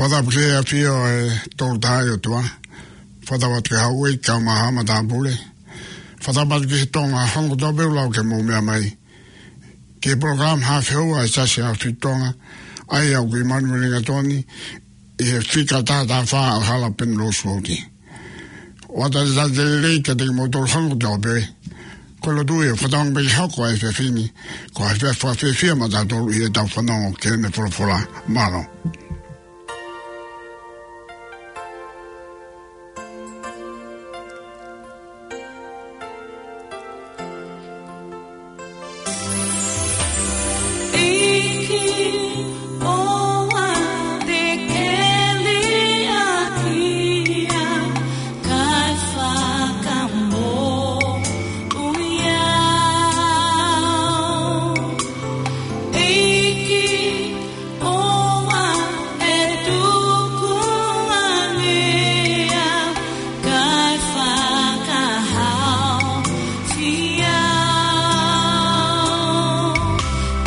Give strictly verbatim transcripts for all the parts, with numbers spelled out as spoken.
Fakatapu ki he ʻAfio ʻo e Tolu Tahaʻi ʻOtua. Fakatapu atu ki he Hauʻeiki kae ʻumaʻā Haʻa Matāpule. Fakatapu atu ki he Tonga, hangē ko ia pē ʻoku lau ke mou meʻa mai ki he polokalama Haʻa Feua ʻa e Siasi ʻAhofitu Tonga, ʻa ia ʻoku ʻi Manurelinga Toni, ʻi he fika taha taha fā ʻo Hala Penrose Road. ʻOatu ʻa e talitali lelei kiate kimoutolu hangē ko ia pē. Ko e lotu ia, fakatauange pē ke hoko ʻa e efiafi ni ko ha efiafi fakafiefia maʻatautolu ʻi heʻetau fanongo ki heʻene folofola. Mālō. ʻEiki, ʻoua te ke liʻaki au, kae fakamoʻui au. ʻEiki, ʻoua ʻe tukuange au, kae fakahaofi au.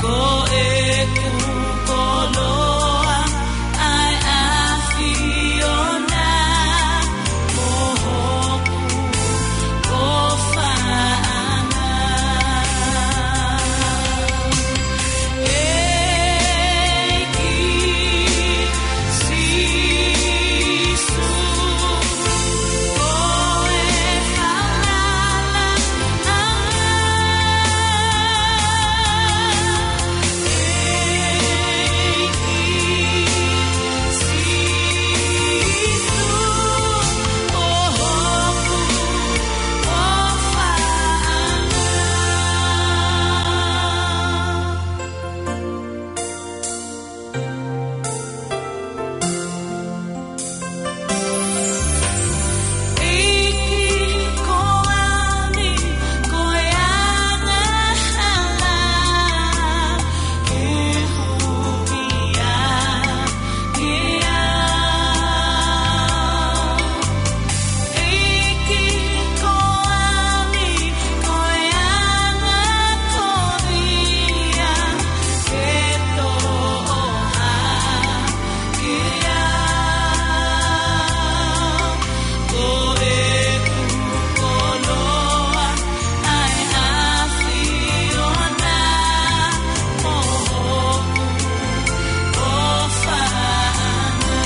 Ko ʻeku koloa ʻa e ʻAfiona, mo hoku ʻofaʻanga.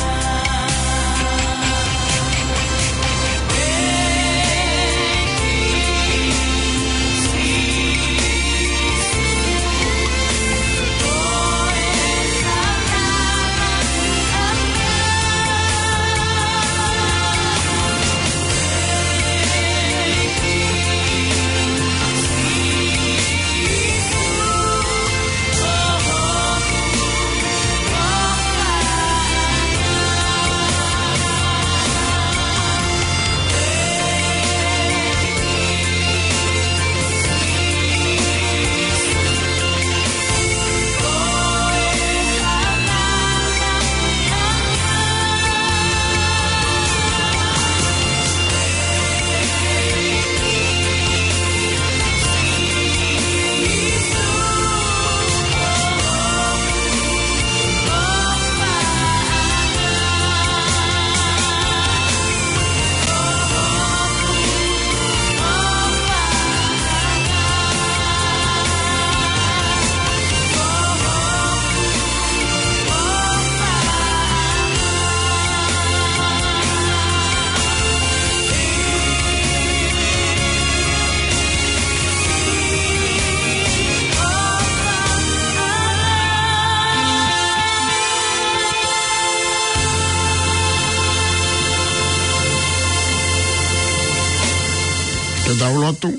Ke tau lotu.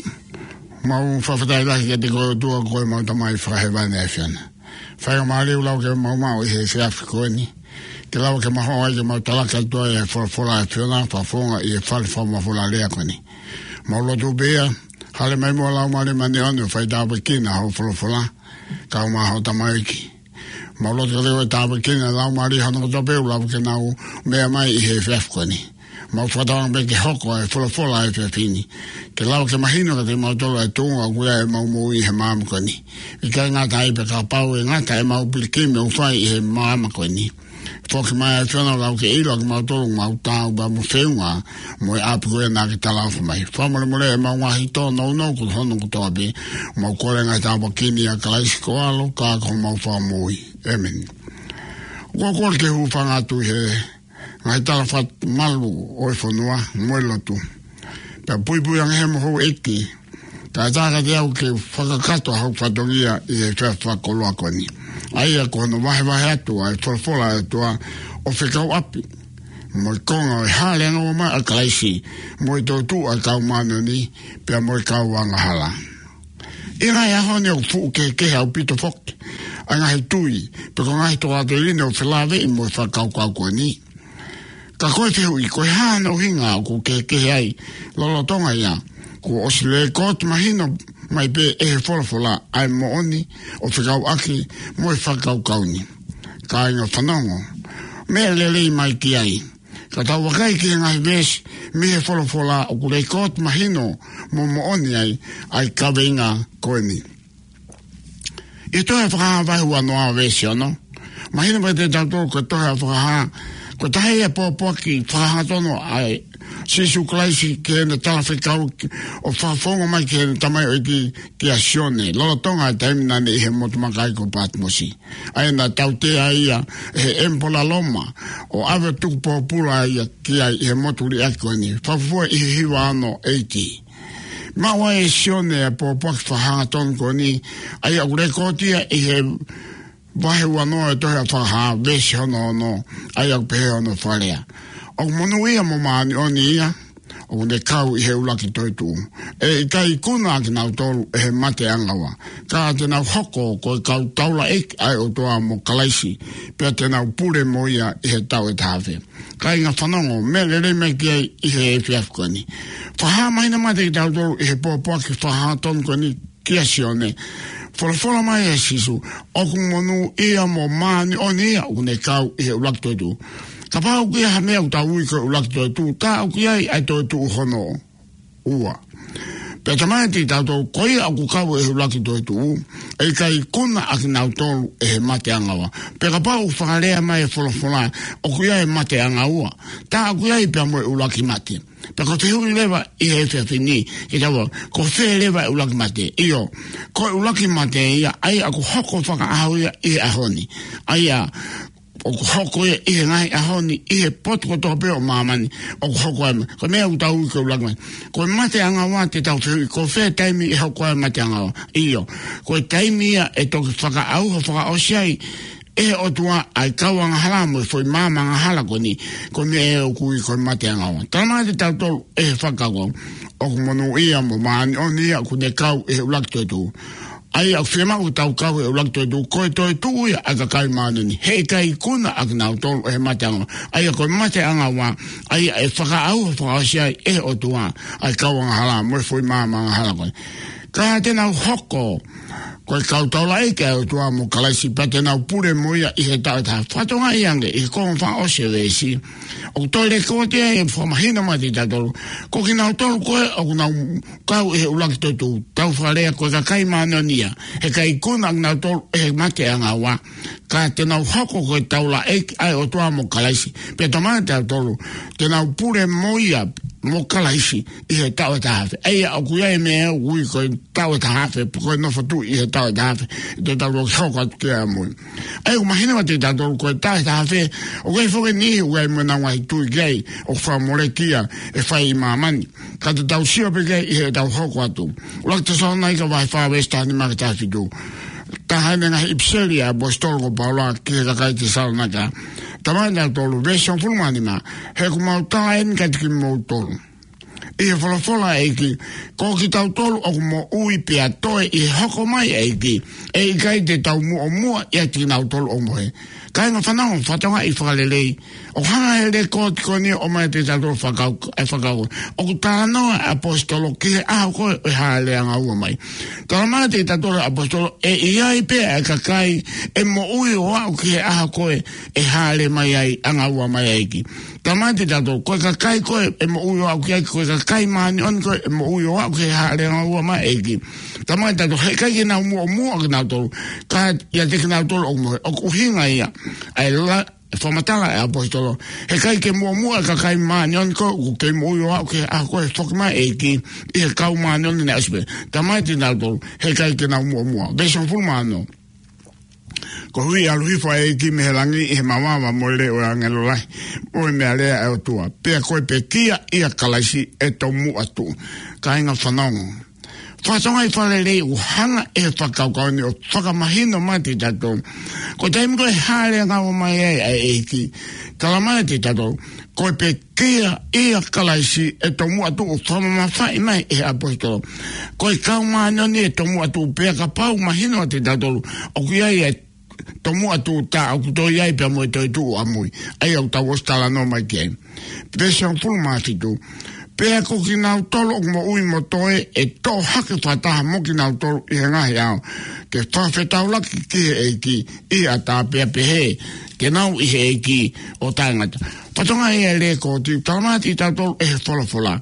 Mau fakafetaʻi lahi kiate koe ʻOtua ko ʻemau Tamai Fakahēvani ʻa e ʻAfiona. Faingamālie ʻoku lau ke mau maʻu ʻi he efiafi ko eni. Ke lau ke mau ō ai ke mau talaki atu ai e folofola ʻa e ʻAfiona, fakafofonga ʻi he fale fakamafola lea ko eni. Mau lotu pē ia, hāʻele mai muʻa Laumālie Māʻoniʻoni ʻo fai tāpuekina hoʻo folofola, kae ʻumaʻā hoʻo tamaioʻeiki. Mau lotu ke lava ke tāpuekina e laumālie ʻo kinautolu kotoa pē ʻoku lau ke nau meʻa mai ʻi he efiafi ko eni. Mau fakatauange pē ke hoko ʻa e folofola ʻo e efiafi ni ke lava ke mahino kiate kimautolu ʻa e tuʻunga ʻoku ʻi ai ʻemau moʻui ʻi he māmani ko eni. ʻIkai ngata ai pē, kapau ʻe ngata ʻemau pilikimi ʻoku fai ʻi he māmani ko eni, Foki mai ʻa e ʻAfiona ka ke ʻilo ʻa kimautolu ʻoku mau taau pea mo feʻunga mo e ʻapi ko ē naʻa ke talaʻofa mai. Fakamolemole ʻemau ngaahi tōnounou ko hono kotoa pē, mau kole ngaahi tāpuaki ni ʻia Kalaisi ko ho ʻAlo ka ko homau Fakamoʻui. ʻĒmeni. ʻOku ou kole ke u hūfanga atu ʻi he ngaahi tala fakamalu ʻo e fonua mo e lotu. Pea puipui ange he mo houʻeiki, kae ʻatā kiate au ke fakakakato haʻaku fatongia ʻi he efiafi fakakoloa ko eni. ʻA ia ko hono vahevahe atu ʻa e folofola ʻa e ʻOtua ʻo fekauʻaki mo e konga ʻo e hāʻele angaua mai ʻa Kalaisi, mo e toetuʻu ʻa e kau māʻoniʻoni, pea mo e kau angahala. ʻI he ngaahi ʻaho ni ʻoku fuʻu kehekehe ʻaupito foki ʻa e ngaahi tui, pe ko e ngaahi tokāteline ʻoku felāveʻi mo e fakakaukau ko eni. Ka ko e fehuʻi, ko e hā hono ʻuhinga ʻoku kehekehe ai? Lolotonga ia, kuo ʻosi lēkooti mahino mai pē ʻe he folofola ʻa e moʻoni ʻo fekauʻaki mo e fakakaukau ni. Kāinga fanongo, meʻa lelei mai ki ai. Ka tau vakai ki he ngaahi veesi mei he folofola ʻoku lēkooti mahino mo moʻoni ai ʻa e kaveinga ko eni. ʻI he tohi ʻa Fakahā vahe uanoa veesi ono, mahino mai kiate kitautolu ko e tohi ʻa Fakahā, ko e taha ia e pōpoaki fakahangatonu ʻa Sīsū Kalaisi ki heʻene talafekau ʻo fakafofonga mai ki heʻene tamaioʻeiki kia Sione, lolotonga e taimi naʻa ne ʻi he motu makaʻi ko Patimosi. ʻA ia naʻe tautea ia ʻe he ʻemipola Loma, ʻo ʻave ʻo tuku pōpula ia ki ai ʻi he motu liʻaki ko eni, fakafuofua ʻi he hiva ono A D. Maʻu ai ʻe Sione ʻa e pōpoaki fakahangatonu ko eni, ʻa ia ʻoku lēkooti ia ʻi he vahe uanoa ʻo e tohi ʻa Fakahā, veesi hono ono, ʻa ia ʻoku pehē hono fakalea: ʻOku monūʻia mo māʻoniʻoni ia ʻoku ne kau ʻi he ʻuluaki toetuʻu. ʻE ʻikai ikuna ʻa kinautolu ʻe he mate ʻanga ua, ka te nau hoko ko e kau taulaʻeiki ʻa e ʻOtua mo Kalaisi, pea te nau pule mo ia ʻi he taʻu ʻe taha afe. Kāinga fanongo, meʻa lelei mai ki ai ʻi he efiafi ko eni. Fakahā mahino mai kiate kitautolu ʻi he pōpoaki fakahangatonu ko eni kia Sione, folofola mai ʻe Sīsū, ʻoku monūʻia mo māʻoniʻoni ia ʻoku ne kau ʻi he ʻuluaki toetuʻu. Kapau ʻoku ʻi ai ha meʻa ʻoku tau ui ko e ʻuluaki toetuʻu, tā ʻoku ʻi ai ʻa e toetuʻu hono ua. Pea talamai kiate kitautolu, ko ia ʻoku kau ʻi he ʻuluaki toetuʻu, ʻe ʻikai ikuna ʻa kinautolu ʻe he mate ʻanga ua. Pea kapau ʻoku fakalea mai e folofola ʻoku ʻi ai e mate ʻanga ua, tā ʻoku ʻi ai pea mo e ʻuluaki mate. Pea ko e fehuʻi leva ʻi he efiafi ni kiate kitautolu, ko fē leva e ʻuluaki mate? ʻIo, ko e ʻuluaki mate ia, ʻa ia ʻoku hoko fakaʻaho ia ʻi he ʻaho ni. ʻA ia ʻoku hoko ia ʻi he ngaahi ʻaho ni, ʻi he potu kotoa pē ʻo māmani, ʻoku hoko ai ma-, ko e meʻa ʻoku tau ui ko e ʻuluaki mate. Ko e mate ʻanga ua te tau fehuʻi, ko fē taimi ʻe hoko ai e mate ʻanga ua? ʻIo, ko e taimi ia ʻe toki fakaʻauha fakaʻosi ai ʻe he ʻOtua ʻa e kau angahala mo e foʻi maama angahala ko eni, ko e meʻa ʻoku ui ko e mate ʻanga ua. Talamai kiate kitautolu ʻe he fakakaukau, ʻoku monūʻia mo māʻoniʻoni ia ʻoku ne kau ʻi he ʻuluaki toetuʻu. ʻA ia ʻoku fiemaʻu ke tau kau ʻi he ʻuluaki toetuʻu, ko e toetuʻu ia ʻa e kakai māʻoniʻoni. He ʻikai ikuna ʻa kinautolu ʻe he mate ʻanga ua. ʻA ia ko e mate ʻanga ua, ʻa ia ʻe fakaʻauha fakaʻosi ai ʻe he ʻOtua ʻa e kau angahala mo e foʻi maama angahala ko ē. Ka te nau hoko ko e kau taulaʻeiki ʻa e ʻOtua mo Kalaisi, pea te nau pule mo ia ʻi he taʻu ʻe taha afe. Fakatokangaʻi ange ʻi he konga fakaʻosi ʻo e veesi, ʻoku toe lēkooti ai ʻo fakamahino mai kiate kitautolu, ko kinautolu ko ē ʻoku nau kau ʻi he ʻuluaki toetuʻu, tau fakalea ko e kakai māʻoniʻoni ia, he ʻikai ikuna ʻa kinautolu ʻe he mate ʻanga ua, ka te nau hoko ko e taulaʻeiki ʻa e ʻOtua mo Kalaisi. Pea talamai kiate kitautolu, te nau pule mo ia, mo Kalaisi ʻi he taʻu ʻe taha afe. ʻA ia ʻoku ʻi ai e meʻa ʻoku ui ko e taʻu ʻe taha afe, ko e nofo tuʻi ʻi he taʻu ʻe taha afe, te tau toki hoko atu ki ai ʻamui. ʻA ia ʻoku mahino kiate kitautolu ko e taʻu ʻe taha afe, ʻoku ʻi ai foki e niʻihi ʻoku ʻi ai mo ʻenau ngaahi tui ki ai, ʻoku fakamoleki ia ʻe fai ʻi māmani. Ka te tau sio pē ki ai ʻi heʻetau hoko atu. ʻUluaki Tesalonaika vahe fā veesi taha nima ki he taha fitu. Taha eni e ngaahi ʻipiseli ʻa e ʻaposetolo ko Paula ki he kakai Tesalonaika. Talamai kiate kitautolu, veesi hongofulu mā nima, he ʻoku mau tala eni kiate kimoutolu ʻi he folofola ʻa e ʻEiki, ko kitautolu ʻoku moʻui pea toe ʻi he hoko mai ʻa e ʻEiki, ʻe ʻikai te tau muʻomuʻa ʻiate kinautolu ʻoku mohe. Kāinga fanongo, fakatokangaʻi fakalelei, ʻoku hanga ʻe he lēkooti ko eni ʻo ʻomai kiate kitautolu fakakau-, e fakakaukau. ʻOku talanoa e ʻaposetolo ki he ʻaho ko ē ʻo e hāʻele ʻanga ua mai. Talamai kiate kitautolu e ʻaposetolo, ʻe ʻi ai pē ʻa e kakai ʻe moʻui ʻo aʻu ki he ʻaho ko ē ʻe hāʻele mai ai, ʻanga ua mai ʻa e ʻEiki. Talamai kiate kitautolu, ko e kakai ko ē ʻe moʻui ʻo aʻu ki ai, ko e kakai māʻoniʻoni ko ē ʻe moʻui ʻo aʻu ki he hāʻele ʻanga ua mai ʻa e ʻEiki. Talamai kiate kitautolu, he ʻikai ke nau muʻomuʻa kinautolu, ka ʻiate kinautolu ʻoku mohe. ʻOku ʻuhinga ia ʻa e la-, ʻE fakamatala ʻe he ʻaposetolo, heʻikai ke muʻomuʻa e kakai māʻoniʻoni ko ē ʻoku kei moʻui ʻo aʻu ki he ʻaho ko ē ʻe foki mai e ʻEiki ʻi he kau māʻoniʻoni naʻe ʻosi pē. Talamai kiate kinautolu, heʻikai ke nau muʻomuʻa. Veesi hongofulu mā ono. Koeʻuhi ʻe ʻalu hifo ʻa e ʻEiki mei he langi ʻi he mavava mo e leʻo ʻo e ʻāngelo lahi, mo e meʻalea ʻa e ʻOtua. Pea ko e pekia ʻia Kalaisi ʻe tomuʻa tuʻu. Kāinga, fanongo. Fakatokangaʻi fakalelei ʻoku hanga ʻe he fakakaukau ni ʻo fakamahino mai kiate kitautolu, ko e taimi ko ē ʻe hāʻele angaua mai ai ʻa e ʻEiki, talamai kiate kitautolu, ko e pekia ʻia Kalaisi ʻe tomuʻa tuʻu. Fakamamafaʻi mai ʻe he ʻaposetolo, ko e kau māʻoniʻoni ʻe tomuʻa tuʻu. Pea kapau ʻe mahino kiate kitautolu ʻoku ʻi ai e tomuʻa tuʻu, tā ʻoku toe ʻi ai pea mo e toetuʻu ʻamui, ʻa ia ʻoku tau ʻosi talanoa mai ki ai. Veesi hongofulu mā fitu. Pea ko kinautolu ʻoku moʻui mo toe, ʻe toʻo hake fakataha mo kinautolu ʻi he ngaahi ʻao, ke fakafetaulaki ki he ʻEiki ʻi he ʻatā, pea pehē, ke nau ʻi he ʻEiki ʻo taʻengata. Fakatokangaʻi e lekooti, talamai kiate kitautolu ʻe he folofola,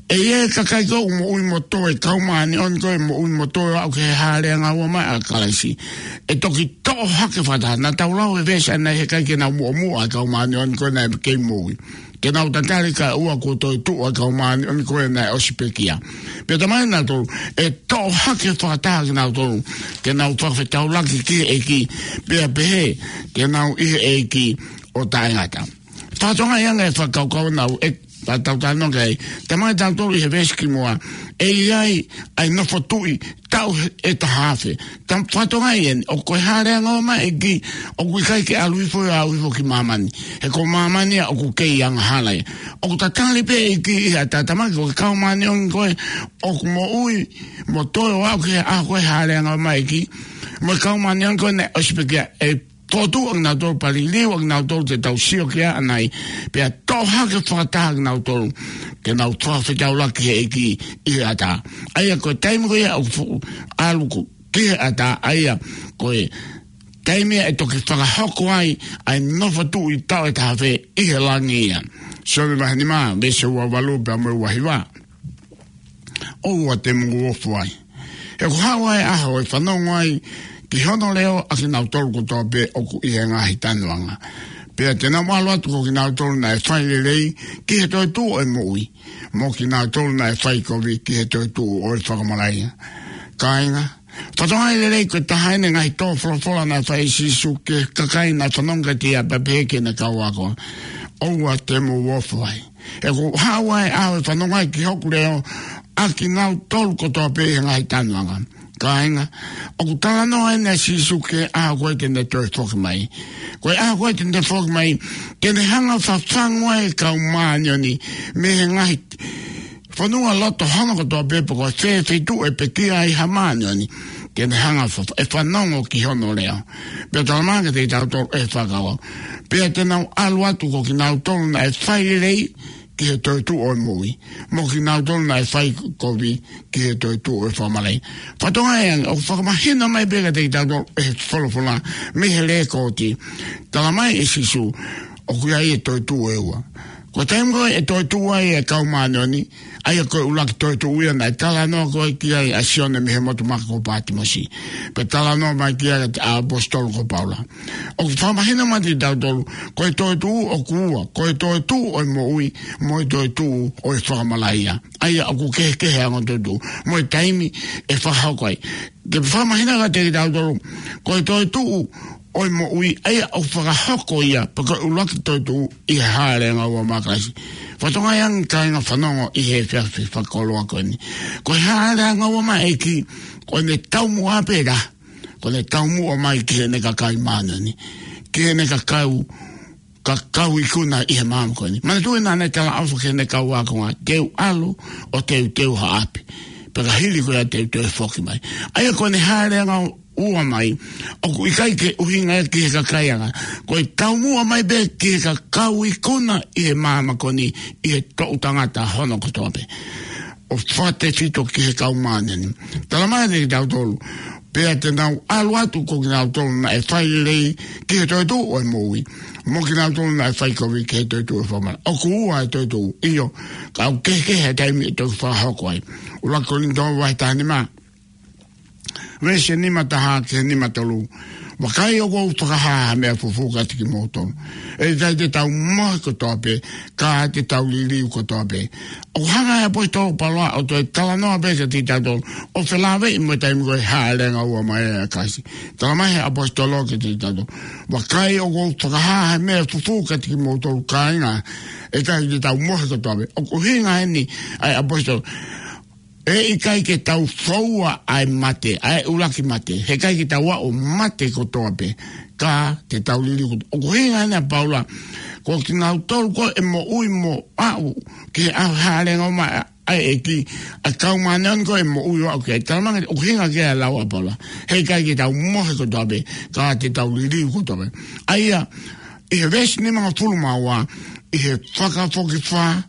ʻe ʻi ai e kakai ko ē ʻoku moʻui mo toe, kau māʻoniʻoni ko ē ʻoku moʻui mo toe ʻo aʻu ki he hāʻele angaua mai ʻa Kalaisi, ʻe toki toʻo hake fakataha. Naʻa tau lau he veesi ʻanenai, heʻikai ke nau muʻomuʻa e kau māʻoniʻoni ko ē naʻe kei moʻui, ke nau tatali kae ʻoua kuo toetuʻu ʻa e kau māʻoniʻoni ko ē naʻe ʻosi pekia. Pea talamai kiate kinautolu, ʻe toʻo hake fakataha kinautolu, ke nau fakafetaulaki ki he ʻEiki, pea pehē, ke nau ʻi he ʻEiki ʻo taʻengata. Fakatokangaʻi ange e fakakaukau naʻa ku ʻe, naʻa tau talanoa ki ai. Talamai kiate kitautolu ʻi he veesi kimuʻa, ʻe ʻi ai ʻa e nofo tuʻi taʻu ʻe taha afe. Tau fakatokangaʻi eni, ʻoku, ko e hāʻele angaua mai e ʻEiki, ʻoku ʻikai ke ʻalu hifo ia, ʻalu hifo ki māmani. He ko māmani ia ʻoku kei angahala ia. ʻOku tatali pē e ʻEiki ʻi he ʻatā. Talamai ko e kau māʻoniʻoni ko ē ʻoku moʻui mo toe ʻo aʻu ki he ʻaho ko ē ʻe hāʻele angaua mai e ʻEiki, mo e kau māʻoniʻoni ko ē naʻe ʻosi pekia, ʻe fokotuʻu ʻa kinautolu, pea liliu ʻa kinautolu te tau sio ki ai ʻanenai, pea toʻo hake fakataha kinautolu, ke nau fakafetaulaki ki he ʻEiki ʻi he ʻatā. ʻA ia ko e taimi ko ia ʻoku fo-, ʻalu ko ē ki he ʻatā, ʻa ia ko e taimi ia ʻe toki fakahoko ai ʻa e nofo tuʻi taʻu ʻe taha afe ʻi he langi ia. Sione vahe nima, veesi ua valu pea mo e ua hiva. ʻOua te mou ofo ai. He ʻoku haʻu ʻa e ʻaho ʻe fanongo ai ki hono leʻo ʻa kinautolu kotoa pē ʻoku ʻi he ngaahi tanuʻanga. Pea te nau ʻalu atu ko kinautolu naʻe fai lelei ki he toetuʻu ʻo e moʻui, mo kinautolu naʻe fai kovi ki he toetuʻu ʻo e fakamalaʻia. Kāinga, fakatokangaʻi lelei, ko e taha eni e ngaahi tō folofola naʻe fai ʻe Sīsū ki he kakai naʻe fanongo kiate ia, pea pehē ki heʻene kau ako, ʻoua te mou ofo ai. He ʻoku haʻu ʻa e ʻaho ʻe fanongo ai ki hoku leʻo ʻa kinautolu kotoa pē ʻi he ngaahi tanuʻanga. Kāinga, ʻoku talanoa eni ʻa Sīsū ki he ʻaho ko ē te ne toe foki mai. Ko e ʻaho ko ē te ne foki mai, ke ne hanga ʻo fafangu ai e kau māʻoniʻoni mei he ngaahi fonua loto hono kotoa pē, pe ko e fē feituʻu ʻe pekia ai ha māʻoniʻoni, ke ne hanga ʻo fa-, ʻe fanongo ki hono leʻo. Pea talamai kiate kitautolu ʻe he fakakaukau, pea te nau ʻalu atu ko kinautolu naʻe fai lelei ki he toetuʻu ʻo e moʻui, mo kinautolu naʻe fai kovi ki he toetuʻu ʻo e fakamalaʻia. Fakatokangaʻi ange, ʻoku fakamahino mai pē kiate kitautolu ʻe he folofola mei he lekooti, talamai ʻe Sīsū, ʻoku ʻi ai e toetuʻu ʻe ua. Ko e taimi ko ē ʻe toetuʻu ai e kau māʻoniʻoni, ʻa ia ko e ʻuluaki toetuʻu ia naʻe talanoa ko ē ki ai ʻa Sione mei he motu maka ko Pātimosi, pea talanoa mai ki ai ʻa e ʻaposetolo ko Paula. ʻOku fakamahino mai kiate kitautolu, ko e toetuʻu ʻoku ua, ko e toetuʻu ʻo e moʻui, mo e toetuʻu ʻo e fakamalaʻia. ʻA ia ʻoku kehekehe e ongo toetuʻu, mo e taimi ʻe fakahoko ai. Ke fakamahino kiate kitautolu, ko e toetuʻu ʻo e moʻui, ʻa ia ʻoku fakahoko ia, pe ko e ʻuluaki toetuʻu ʻi he hāʻele angaua mai ʻa Kalaisi. Fakatokangaʻi ange kāinga fanongo ʻi he efiafi fakakoloa ko eni. Ko e hāʻele angaua mai e ʻEiki, ko ʻene taumuʻa pē ia, ko ʻene taumuʻa mai ki heʻene kakai māʻoniʻoni, ki heʻene kakai, kakai ikuna ʻi he māmani ko eni. Manatuʻi naʻa ne talaʻofa ki heʻene kau ākonga, te u ʻalu ʻo teuteu ha ʻapi. Pea ka hili ko ia te u toe foki mai. ʻA ia ko ʻene hāʻele angaua mai, ʻoku ʻikai ke ʻuhinga ia ki he kakai anga. Ko e taumuʻa mai pē ki he kakai ikuna ʻi he māmani ko eni, ʻi he toʻu tangata hono kotoa pē. ʻO fakatefito ki he kau māʻoniʻoni. Talamai kiate kitautolu, pea te nau ʻalu atu ko kinautolu naʻe fai lelei ki he toetuʻu ʻo e moʻui, mo kinautolu naʻe fai kovi ki he toetuʻu ʻo e fakamalaʻia. ʻOku ua e toetuʻu, ʻio, ka ʻoku kehekehe e taimi ʻe toki fakahoko ai. ʻUluaki Kolinitō vahe taha nima, veesi nima taha ki he nima tolu. Vakai, ʻoku ou fakahā ha meʻa fufū kiate kimoutolu. ʻE ʻikai te tau mohe kotoa pē, ka te tau liliu kotoa pē. ʻOku hanga ʻe he ʻaposetolo ko Paula ʻo toe talanoa pē kiate kitautolu, ʻo felāveʻi mo e taimi ko e Hāʻele ʻAnga Ua mai ʻa Kalaisi. Talamai ʻe he ʻaposetolo kiate kitautolu: Vakai, ʻoku ou fakahā ha meʻa fufū kiate kimoutolu, kāinga, ʻe ʻikai te tau mohe kotoa pē. ʻOku ʻuhinga eni ʻa e ʻaposetolo, ʻe ʻikai ke tau foua ʻa e mate, ʻa e ʻuluaki mate. He ʻikai ke tau aʻu ʻo mate kotoa pē, ka te tau liliu kotoa. ʻOku ʻuhinga eni ʻa Paula, ko kinautolu ko ē ʻe moʻui mo aʻu ki he ʻaho Hāʻele ʻAnga Ua mai ʻa e ʻEiki, ʻa e kau māʻoniʻoni ko ē ʻe moʻui ʻo aʻu ki ai. Talamai, ʻoku ʻuhinga ki ai e lau ʻa Paula, he ʻikai ke tau mohe kotoa pē, ka te tau liliu kotoa pē. ʻA ia, ʻi he veesi nimangofulu mā ua, ʻi he fakafokifā,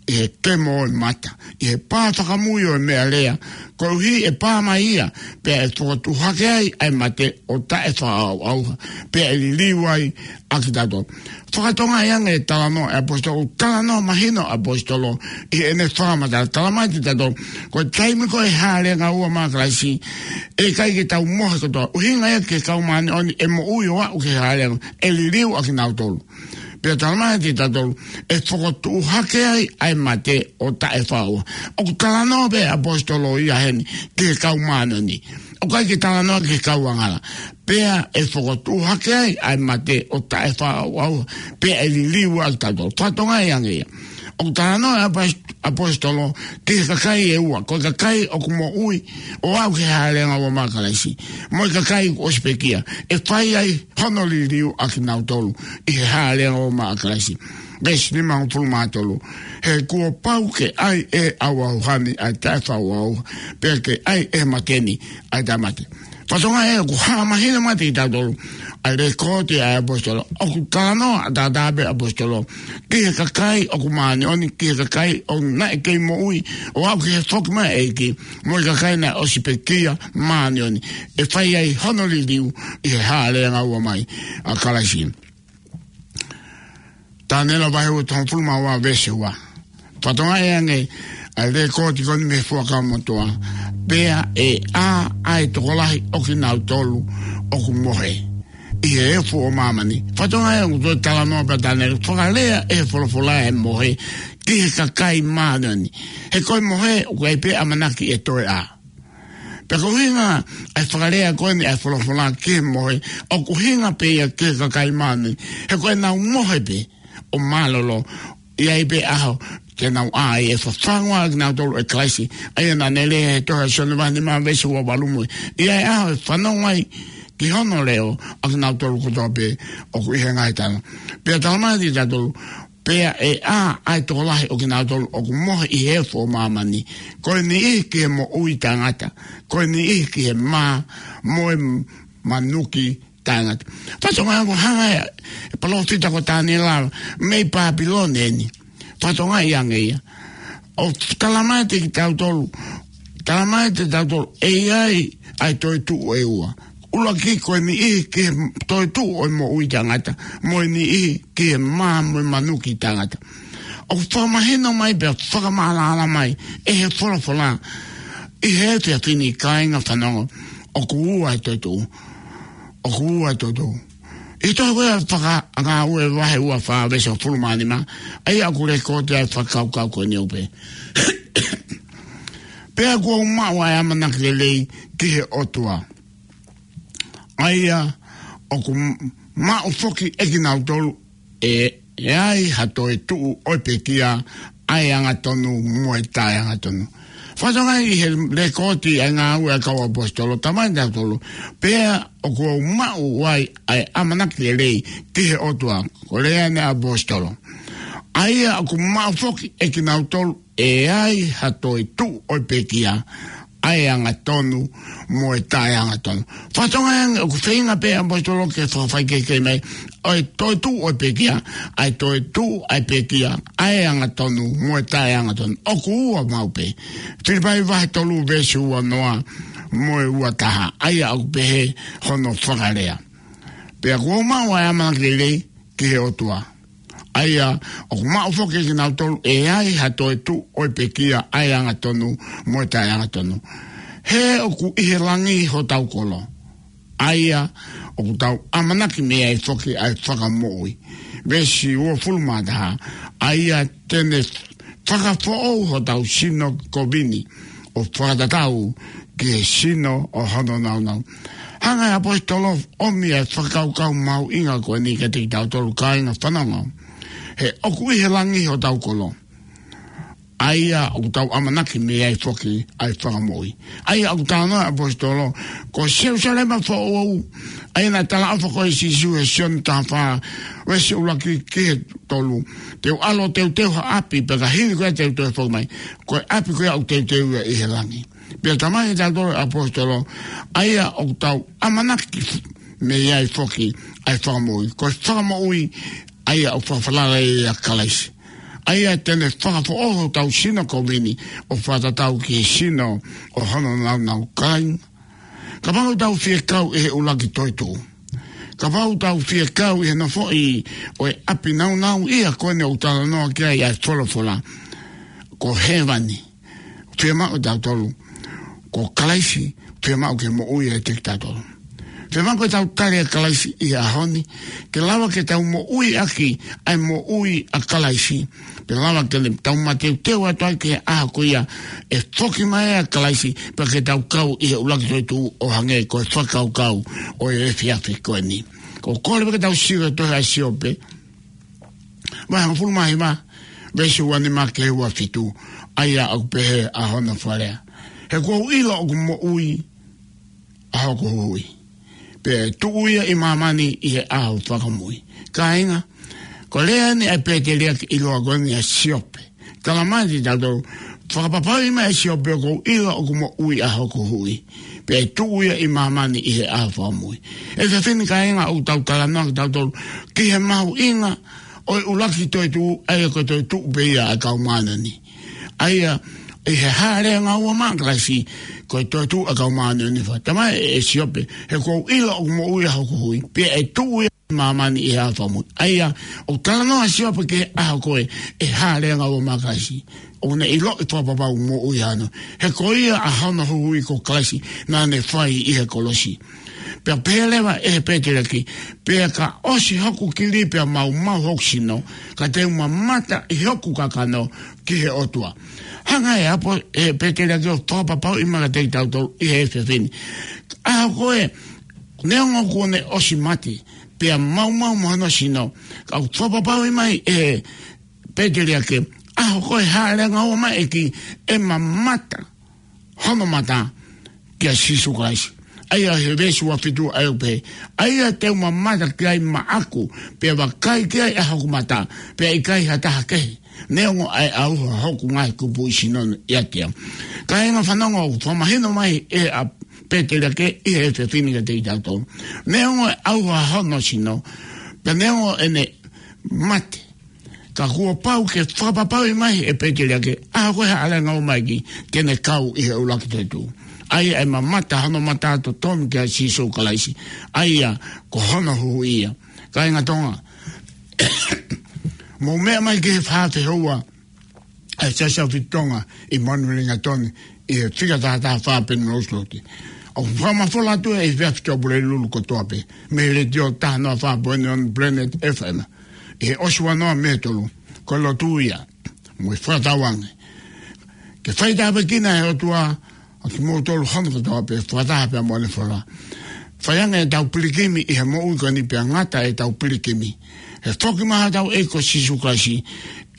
ʻi he kemo ʻo e mata, ʻi he pā fakamui ʻo e meʻalea, koeʻuhi ʻe pā mai ia, pea ʻe fokotuʻu hake ai ʻa e mate ʻo taʻefakaʻauʻauha, pea ʻe liliu ai ʻa kitautolu. Fakatokangaʻi ange e talanoa ʻa e ʻaposetolo, talanoa mahino ʻa e ʻaposetolo ʻi heʻene fakamatala. Talamai kiate kitautolu, ko e taimi ko ē Hāʻele ʻAnga Ua mai ʻa Kalaisi, ʻe ʻikai ke tau mohe kotoa. ʻUhinga ia ki he kau māʻoniʻoni ʻe moʻui ʻo aʻu ki he Hāʻele ʻAnga, ʻe liliu ʻa kinautolu. Pea talamai kiate kitautolu, ʻe fokotuʻu hake ai ʻa e mate ʻo taʻefakaʻauʻauha. ʻOku talanoa pē ʻaposetolo ia heni ki he kau māʻoniʻoni. ʻOku ʻikai ke talanoa ki he kau angahala. Pea ʻe fokotuʻu hake ai ʻa e mate ʻo taʻefakaʻauʻauha, pea ʻe liliu ʻa kitautolu. Fakatokangaʻi ange ia. ʻOku talanoa ʻa e ʻapos-, ʻaposetolo ki he kakai ʻe ua, ko e kakai ʻoku moʻui ʻo aʻu ki he Hāʻele ʻAnga Ua mai ʻa Kalaisi, mo e kakai kuo ʻosi pekia. ʻE fai ai hono liliu ʻa kinautolu ʻi he Hāʻele ʻAnga Ua mai ʻa Kalaisi. Veesi nimangofulu mā tolu: He kuo pau ke ʻai ʻe he ʻauʻauha ni ʻa e taʻefakaʻauʻauha, pea ke ʻai ʻe he mate ni ʻa e taʻemate. Fakatokangaʻi ʻoku hā mahino mai kiate kitautolu ʻa e lekooti ʻa e ʻaposetolo. ʻOku talanoa ʻataʻatā pē ʻaposetolo ki he kakai ʻoku māʻoniʻoni, ki he kakai ʻoku naʻe kei moʻui ʻo aʻu ki he foki mai ʻa e ʻEiki, mo e kakai naʻe ʻosi pekia māʻoniʻoni. ʻE fai ai hono liliu ʻi he Hāʻele ʻAnga Ua mai ʻa Kalaisi. Taniela vahe ua, tolungofulu mā ua, veesi ua. Fakatokangaʻi ange ʻa e lekooti ko eni mei he Fuakava Motuʻa: Pea ʻe ʻā ʻa e tokolahi ʻo kinautolu ʻoku mohe ʻi he efu ʻo māmani. Fakatokangaʻi ʻoku toe talanoa pē ʻa Taniela, fakalea ʻe he folofola e mohe ki he kakai māʻoniʻoni. He ko e mohe ʻoku ʻi ai pē ʻamanaki ʻe toe ʻā. Pea ko e ʻuhinga ʻa e fakalea ko eni ʻa e folofola ki he mohe, ʻoku ʻuhinga pē ia ki he kakai māʻoniʻoni. He ko ʻenau mohe pē ʻo mālōlō, ʻe ʻi ai pē ʻaho te nau ʻā ai, ʻe fafangu ʻa kinautolu ʻe Kalaisi. ʻA ia naʻa ne lea he tohi ʻa Sione vahe nima veesi ua valu mo e, ʻe ʻi ai e ʻaho ʻe fanongo ai ki hono leʻo ʻa kinautolu kotoa pē ʻoku ʻi he ngaahi tana. Pea talamai kiate kitautolu, pea ʻe ʻā ʻa e tokolahi ʻo kinautolu ʻoku mohe ʻi he efu ʻo māmani, ko e niʻihi ki he moʻui taʻengata, ko e niʻihi ki he mā mo e manuki taʻengata. Fakatokangaʻi ʻoku hanga ʻe he palōfita ko Taniela mei Pāpilone eni. Fakatokangaʻi ange ia. ʻO talamai kiate kitautolu, talamai kiate kitautolu, ʻe ʻi ai ʻa e toetuʻu ʻe ua. ʻUluaki ko e niʻihi ki he toetuʻu ʻo e moʻui taʻengata, mo e niʻihi ki he mā mo e manuki taʻengata. ʻOku fakamahino mai pea fakamaʻalaʻala mai ʻe he folofola ʻi he efiafi ni, kāinga, fanongo, ʻoku ua e toetuʻu. ʻOku ua e toetuʻu. ʻI he tohi ko ia Fakangāue vahe ua fā veesi hongofulu mā nima, ʻa ia ʻoku lekooti ai e fakakaukau ko eni ʻoku pehē: Pea kuo u maʻu ʻa e ʻamanaki lelei ki he ʻOtua, ʻa ia ʻoku m-, maʻu foki ʻe kinautolu ʻe, ʻe ai ha toetuʻu ʻo e pekia, ʻa e angatonu mo e taʻeangatonu. Fakatokangaʻi ʻi he lekooti ʻa e ngāue ʻa e kau ʻaposetolo, talamai kiate kitautolu, pea kuo u maʻu ai ʻa e ʻamanaki lelei ki he ʻOtua, ko e lea eni ʻa e ʻaposetolo, ʻa ia ʻoku maʻu foki ʻe kinautolu ʻe ai ha toetuʻu ʻo e pekia, ʻa e angatonu mo e taʻeangatonu. Fakatokangaʻi ange ʻoku feinga pē ʻaposetolo ke fakafaikehekehe mai ʻa e toetuʻu ʻo e pekia, ʻa e toetuʻu ʻa e pekia, ʻa e angatonu mo e taʻeangatonu. ʻOku ua maʻu pē. Filipai vahe tolu veesi ua noa mo e ua taha, ʻa ia ʻoku pehē hono fakalea: Pea kuo u maʻu ʻa e ʻamanaki lelei ki he ʻOtua, ʻa ia ʻoku maʻu foki ʻe kinautolu ʻe ai ha toetuʻu ʻo e pekia, ʻa e angatonu mo e taʻeangatonu. He ʻoku ʻi he langi hotau kolo. ʻA ia ʻoku tau ʻamanaki mei ai foki ʻa e fakamoʻui. Veesi uofulu mā taha, ʻa ia te ne fakafoʻou hotau sino kovini ʻo fakatatau ki he sino ʻo hono nāunau. Hanga ʻe he ʻaposetolo ʻo ʻomi ʻa e fakakaukau mahuʻinga ko eni kiate kitautolu kāinga fanongo. He ʻoku ʻi he langi hotau kolo. ʻA ia ʻoku tau ʻamanaki mei ai foki ʻa e fakamoʻui. ʻA ia ʻoku talanoa ʻa e ʻaposetolo, ko Selūsalema foʻou, ʻa ia naʻe talaʻofa ko ē ʻe Sīsū ʻi he Sione taha fā, veesi ʻuluaki ki he tolu. Te u ʻalu ʻo teuteu ha ʻapi, pea ka hili ko ia te u toe foki mai. Ko e ʻapi ko ia ʻoku teuteu ia ʻi he langi. Pea talamai kiate kitautolu ʻe he ʻaposetolo, ʻa ia ʻoku tau ʻamanaki mei ai foki ʻa e fakamoʻui. Ko e fakamoʻui, ʻa ia ʻoku fakafalala ia ʻia Kalaisi. ʻA ia te ne fakafoʻou hotau sino kovini ʻo fakatatau ki he sino ʻo hono nāunau. Kāinga, kapau ʻoku tau fie kau ʻi he ʻuluaki toetuʻu, kapau ʻoku tau fie kau ʻi he nofoʻi ʻo e ʻapi nāunau ia ko eni ʻoku talanoa ki ai ʻa e folofola, ko hēvani, fiemaʻu ʻe tautolu, ko Kalaisi, fiemaʻu ke moʻui ʻiate kitautolu. Fiemaʻu ke tau tali ʻa Kalaisi ʻi he ʻaho ni, ke lava ke tau moʻui ʻaki ʻa e moʻui ʻa Kalaisi. Pea lava ke tau mateuteu atu ai ki he ʻaho ko ia ʻe foki mai ai ʻa Kalaisi, pea ke tau kau ʻi he ʻuluaki toetuʻu ʻo hangē ko e fakakaukau ʻo e efiafi ko eni. ʻOku ou kole pē ke tau sio ki he tohi ʻa Siope, vahe hongofulu mā hiva, veesi ua nima ki he ua fitu, ʻa ia ʻoku pehē ʻa hono fakalea: He kuo u ʻilo ʻoku moʻui ʻa hoku Huhuʻi, pea ʻe tuʻu ia ʻi māmani ʻi he ʻaho fakamoʻui. Kāinga, ko e lea eni ʻa e pēteliake ʻiloa ko eni ʻa Siope. Talamai kiate kitautolu, fakapapauʻi mai ʻe Siope, kuo u ʻilo ʻoku moʻui ʻa hoku Huhuʻi, pea ʻe tuʻu ia ʻi māmani ʻi he ʻaho fakamoʻui. ʻE fefine, kāinga, ʻoku tau talanoa kitautolu ki he mahuʻinga ʻo e ʻuluaki toetuʻu, ʻa ia ko e toetuʻu pē ia ʻa e kau māʻoniʻoni. ʻA ia, ʻi he hāʻele angaua maʻa Kalaisi, ko e toetuʻu ʻa e kau māʻoniʻoni. Fakatamai ʻe Siope, he kuo u ʻilo ʻoku moʻui ʻa hoku Huhuʻi, pea ʻe tuʻu ia māmani ʻi he ʻaho fakamoʻui. ʻA ia, ʻoku talanoa ʻa Siope ki he ʻaho ko ē ʻe hāʻele angaua maʻa Kalaisi. ʻOku ne ʻiloʻi fakapapau moʻui ʻaʻana, he ko ia ʻa hono Huhuʻi ko Kalaisi naʻa ne fai ʻi he kolosi. Pea pehē leva ʻe he pēteliake, pea ka ʻosi hoku kili pea maumau hoku sino, ka te u mamata ʻi hoku kakano ki he ʻOtua. Hanga ʻe he ʻapo-, ʻe he pēteliake ʻo fakapapauʻi mai kiate kitautolu ʻi he efiafi ni, ʻaho ko ē, neongo kuo ne ʻosi mate, pea maumau mo hono sino, ka ʻoku fakapapauʻi mai ʻe he pēteliake, ʻaho ko ē hāʻele angaua maʻa e ʻEiki, ʻe mamata hono mata kia Sīsū Kalaisi. ʻA ia he veesi ua fitu ʻa ia ʻoku pehē, ʻa ia te u mamata ki ai maʻaku, pea vakai ki ai ʻa hoku mata, pea ʻikai ha taha kehe, neongo ʻa e ʻauha hoku ngaahi kupuʻi sino ʻiate au. Kāinga fanongo, ʻoku fakamahino mai ʻe he ʻa pēteliake ʻi he efiafi ni kiate kitautolu, neongo e ʻauha hono sino, pea neongo ʻene mate, ka kuo pau ke fakapapauʻi mai ʻe he pēteliake, ʻaho ko ē hāʻele angaua maʻa e ʻEiki, te ne kau ʻi he ʻuluaki toetuʻu. ʻA ia ʻe mamata hono mata totonu kia Sīsū Kalaisi, ʻa ia ko hono Huhuʻi ia. Kāinga Tonga, mou meʻa mai ki he fā fehoua ʻa e Siasi ʻAhofitu Tonga ʻi Manurewa, Lingatoni, ʻi he fika taha taha fā Penrose Road. ʻOku fakamafola atu ʻi he efiafi ki ʻapi Pulelulu kotoa pē mei he letiō taha noa fā poini ono Planet F M, ʻi he ʻosi ua noa mei he tolu. Ko e lotu ia mo e fakatauange ke fai tāpuekina ʻe he ʻOtua ʻa kimoutolu hono kotoa pē, fakataha pea mo ʻene fola. Fai ange ʻetau pilikimi ʻi he moʻui ko eni, pea ngata ʻetau pilikimi he foki mai hotau ʻEiki ko Sīsū Kalaisi,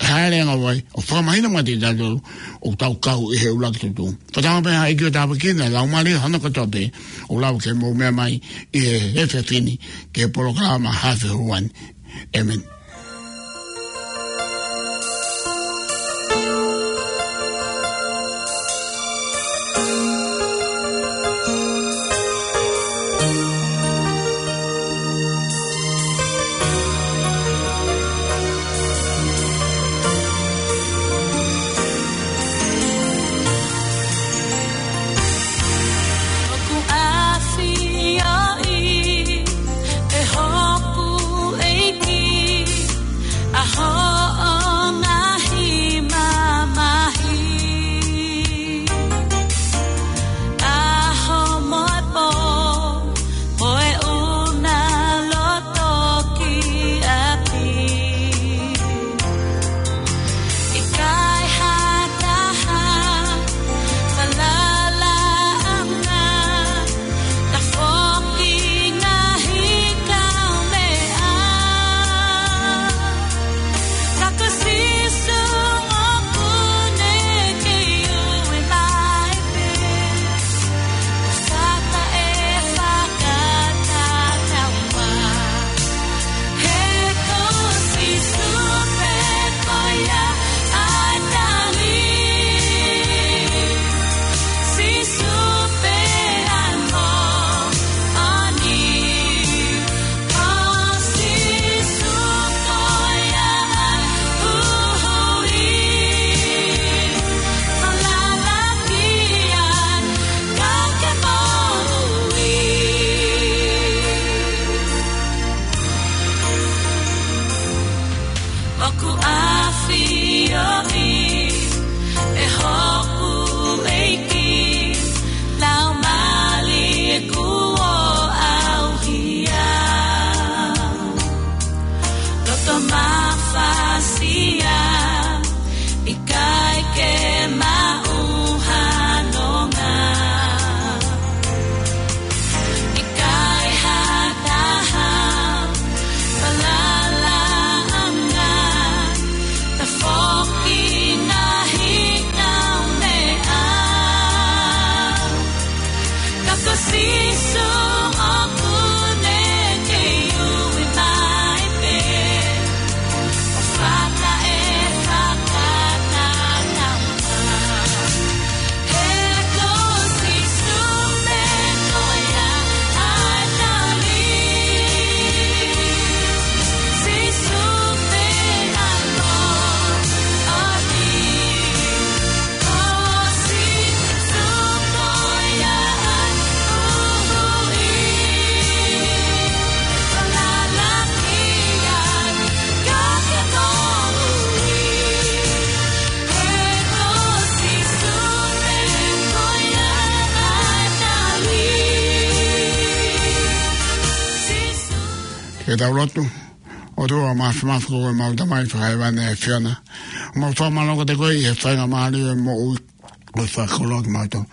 hāʻele angaua ai, ʻo fakamahino mai kiate kitautolu ʻoku tau kau ʻi he ʻuluaki toetuʻu. Fakatauange pē ʻe he ʻEiki ʻo tāpuekina e laumālie hono kotoa pē ʻoku lava ke mou meʻa mai ʻi he efiafi ni ki he polokalama Hā Fehoua ni. ʻĒmeni. ʻOku ʻafioʻi ʻe hoku ʻEiki Ke tau lotu. ʻOtua mafimafi ko homau Tamai fakahēvani ʻa e ʻAfiona. Mau fakamālō kiate koe ʻi he faingamālie ʻo e moʻui ʻo e fakakoloa kimautolu.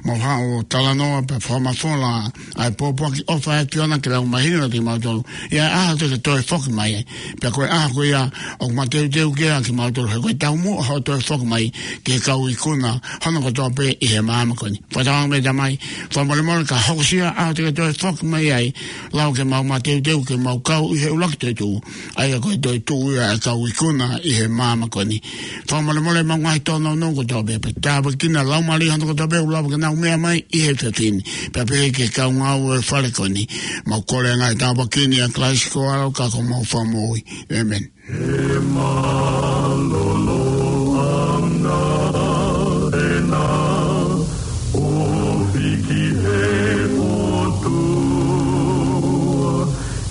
Mau haʻu ʻo talanoa pea fakamafola ʻa e pōpoaki ʻofa ʻa e ʻAfiona ke lau mahino kiate kimautolu ʻi he ʻaho te ke toe foki mai ai. Pea ko e ʻaho ko ia ʻoku mateuteu ki ai kimautolu he ko e taumuʻa hoʻo toe foki mai ki he kau ikuna hono kotoa pē ʻi he māmani ko eni. Fakatauange mai Tamai, fakamolemole ka hokosia ʻaho te ke toe foki mai ai, lava ke mau mateuteu ke mau kau ʻi he ʻuluaki toetuʻu, ʻa ia ko e toetuʻu ia ʻa e kau ikuna ʻi he māmani ko eni. Fakamolemole mau ngaahi tōnounou kotoa pē, pea tāpuekina Laumālie hono kotoa pē ʻoku lava ke nau meʻa mai ʻi he efiafi ni, pea pehē ki he kau ngāue ʻo e fale ko eni. Mau kole ngaahi tāpuaki ni ʻia Kalaisi ko ho ʻAlo ka ko homau Fakamoʻui. ʻĒmeni. He mālōlō ʻana ʻena ʻo hiki he ʻOtua,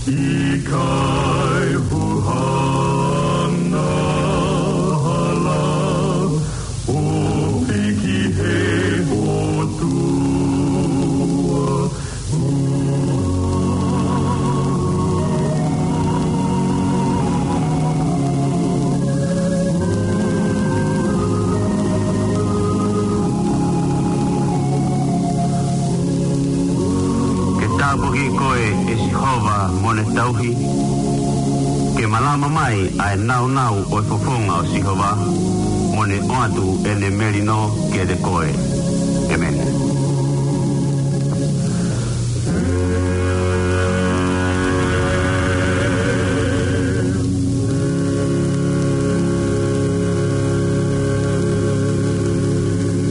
ʻikai huhana hala ʻo hiki he ʻOtua. Ke tāpuakiʻi koe ʻe Sihova mo ne tauhi, ke malama mai ʻa e nāunau ʻo e fofonga ʻo Sihova, mo ne ʻoatu ʻene melino kiate koe. ʻĒmeni.